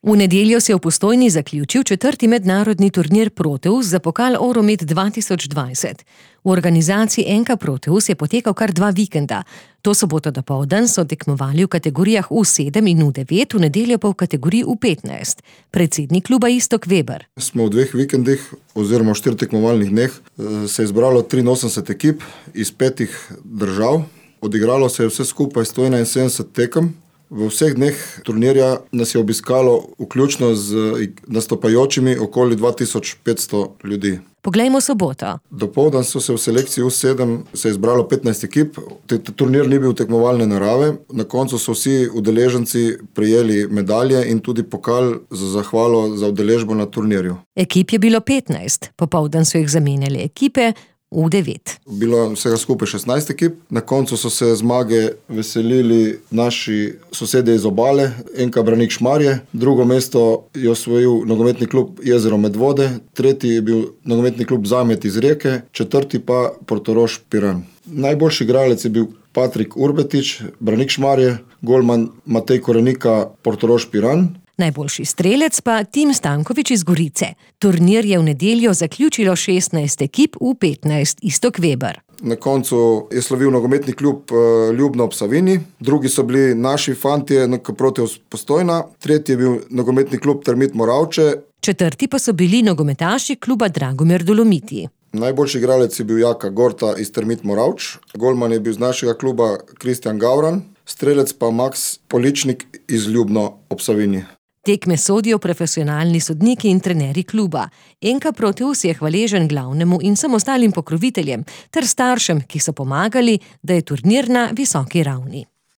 V nedeljo se je v Postojni zaključil 4. mednarodni turnir Proteus za pokal Euromed 2020. V organizaciji NK Proteus je potekal kar 2 vikenda. To soboto dopoldan so tekmovali v kategorijah U7 in U9, v nedeljo pa v kategoriji U15. Predsednik kluba Iztok Veber. Smo v 2 vikendih oziroma v 4 tekmovalnih dneh se je izbralo 83 ekip iz 5 držav. Odigralo se je vse skupaj 171 tekem. V vseh dneh turnirja nas je obiskalo vključno z nastopajočimi okoli 2500 ljudi. Poglejmo soboto. Dopoldan so se v selekciji U7 se je izbralo 15 ekip. Turnir ni bil tekmovalne narave. Na koncu so vsi udeleženci prejeli medalje in tudi pokal za zahvalo za udeležbo na turnirju. Ekip je bilo 15. Popoldan so jih zamenjali ekipe U9. Bilo vsega skupaj 16 ekip. Na koncu so se zmage veselili naši sosedje iz obale, NK Branik Šmarje. Drugo mesto je osvojil nogometni klub Jezero Medvode, tretji je bil nogometni klub Zamet iz Rijeke, četrti pa Portorož Piran. Najboljši igralec je bil Patrik Urbetič, Branik Šmarje, golman Matej Korenika, Portorož Piran. Najboljši strelec pa Tim Stanković iz Gorice. Turnir je v nedeljo zaključilo 16 ekip U15, Iztok Veber. Na koncu je slavil nogometni klub Ljubno ob Savinji, drugi so bili naši fantje NK Proteus Postojna, tretji je bil nogometni klub Termit Moravče. Četrti pa so bili nogometaši kluba Dragomir Dolomiti. Najboljši igralec je bil Jaka Gorta iz Termit Moravč, golman je bil iz našega kluba Kristjan Gavran, strelec pa Max Poličnik iz Ljubno ob Savinji. Tekme sodijo profesionalni sodniki in trenerji kluba. NK Proteus je hvaležen glavnemu in vsem ostalim pokroviteljem ter staršem, ki so pomagali, da je turnir na visoki ravni.